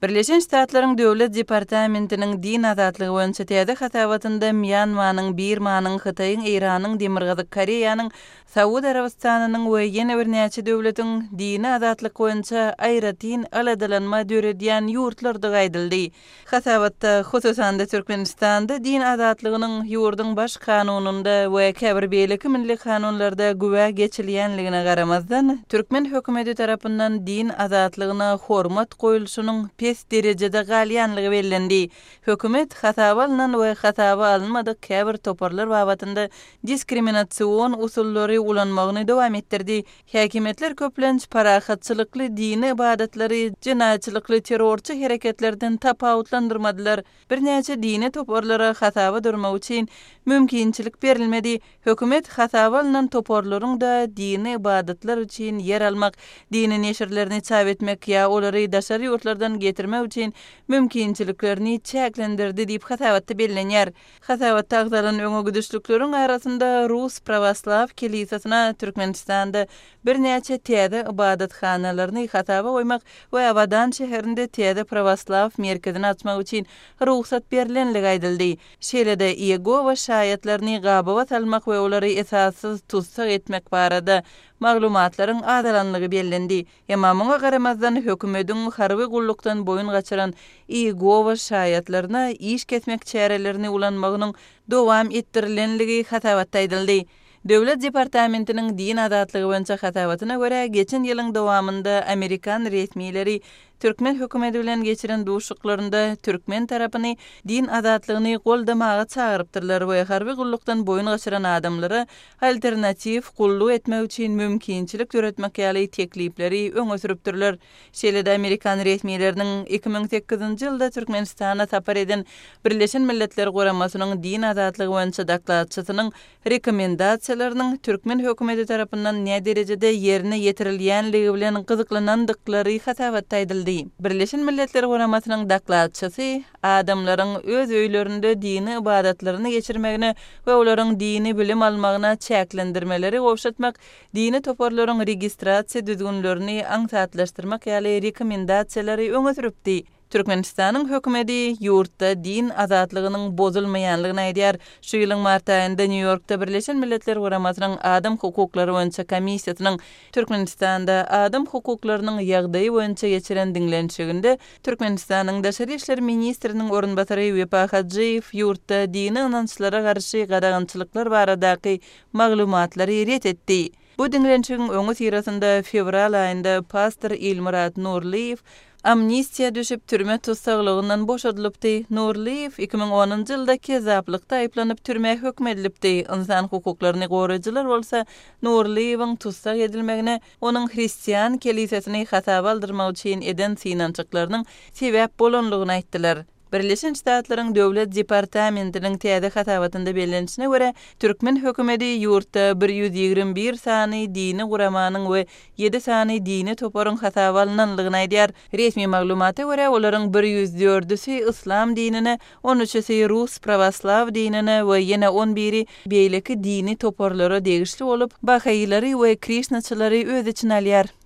Birleşen Ştatlaryň Döwlet departamentiniň din azatlygy boýunça täze hasabatynda Mýanmanyň, Birmanyň, Hytaýyň, Eýranyň, Demirgazyk Koreýanyň, Saud Arabystanynyň we ýene birnäçe döwletiň dini azatlyk boýunça aýratyn aladalanma döredýän ýurtlardygy aýdyldy. Hasabatda, hususan-da, Türkmenistanda din azatlygynyň ýurduň Baş Kanunynda we käbir beýleki milli kanunlarda güwä geçilýänligine garamazdan, türkmen hökümeti tarapyndan din azatlygyna hormat goýulşynyň pes derejede galýanlygy bellendi. Hökümet hasaba alnan we hasaba alynmadyk käbir toparlar babatynda diskriminasion usullary ulanmagyny dowam etdirdi. Häkimiýetler köplenç parahatçylykly dini ybadatlary jenaýatçylykly terrorçy hereketlerden tapawutlandyrmadylar. Birnäçe dini toparlara hasaba durmak üçin mümkinçilik berilmedi. Hökümet hasaba alnan toparlaryň-da dini ybadatlar üçin ýer almak, dini neşirlerini çap etmek ýa olary daşary ýurtlardan getirmek üçin mümkinçiliklerini çäklendirdi diýip hasabatda bellenýär. Hasabatda agzalan öňe gidişlikleriň arasynda Rus Prawoslaw kelisasyna Türkmenistanda birnäçe täze ybadathanalaryny hasaba goýmak we Abadan şäherinde täze prawoslaw merkezini açmak üçin rugsat berlenligi aýdyldy. Şeýle-de Iýegowa şaýatlaryny gabawa salmak we olary esassyz tussag etmek barada maglumatlaryň azalanlygy bellendi. Emma muňa garamazdan, hökümediň harby gullukdan boýun gaçyran Iýegowa şaýatlaryna iş kesmek çärelerini ulanmagynyň dowam etdirilenligi hasabatda aýdyldy. Döwlet departamentiniň din azatlygy boýunça hasabatyna görä, geçen ýylyň dowamynda amerikan resmileri türkmen hökümeti bilen geçiren duşuşyklarynda türkmen tarapyny din azatlygyny goldamaga çagyrypdyrlar we harby gullukdan boýun gaçyran adamlara alternatiw gulluk etmek üçin mümkinçilik döretmek ýaly teklipleri öňe sürüpdirler. Şeýle-de amerikan resmileriniň 2008-nji ýylda Türkmenistana sapar eden Birleşen Milletler Guramasynyň din azatlygy boýunça dokladçysynyň rekomendasiýalarynyň türkmen hökümeti tarapyndan näderejede ýerine ýetirilýänligi bilen gyzyklanandyklary hasabatda aýdyldy. Birleşen Milletler Guramasynyň dokladçysy adamlaryň öz öýlerinde dini ybadatlaryny geçirmegine we olaryň dini bilim almagyna çäklendirmeleri gowşatmak, dini toparlaryň registrasiýa düzgünlerini aňsatlaşdyrmak ýaly rekomendasiýalary öňe sürüpdi. Türkmenistanyň hökümeti ýurtda din azatlygynyň bozulmaýanlygyny aýdýar. Şu ýylyň mart aýynda Nýu-Ýorkda Birleşen Milletler Guramasynyň Adam hukuklary boýunça komissiýasynyň Türkmenistanda adam hukuklarynyň ýagdaýy boýunça geçiren diňlenişiginde Türkmenistanyň daşary işler ministriniň orunbasary Wepa Hajyýew ýurtda dini ynançlara garşy gadagançylyklar baradaky maglumatlary ret etdi. Bu diňlenişigiň öňüsyrasynda fewral aýynda pastor Ilmyrat Nurlyýew amnistiýa düşüp, türme tussaglygyndan boşadylypdy. Nurlyýew 2010-njy ýylda kezzaplykda aýyplanyp, türmä höküm edilipdi. Ynsan hukuklaryny goraýjylar bolsa Nurlyýewiň tussag edilmegine onuň hristian kelisesini hasaba aldyrmak üçin eden synanyşyklarynyň sebäp bolanlygyny aýtdylar. Birleşen Ştatlaryň Döwlet departamentiniň täze hasabatynda bellenişine görä, türkmen hökümeti ýurtda 121 sany dini guramanyň we ýedi sany dini toparyň hasaba alnanlygyny aýdýar. Resmi maglumata görä, olaryň bir ýüz dördüsi yslam dinine, on üçüsi rus prawoslaw dinine we ýene on biri beýleki dini toparlara degişli bolup, bahailary we krişnaçylary öz içine alýar.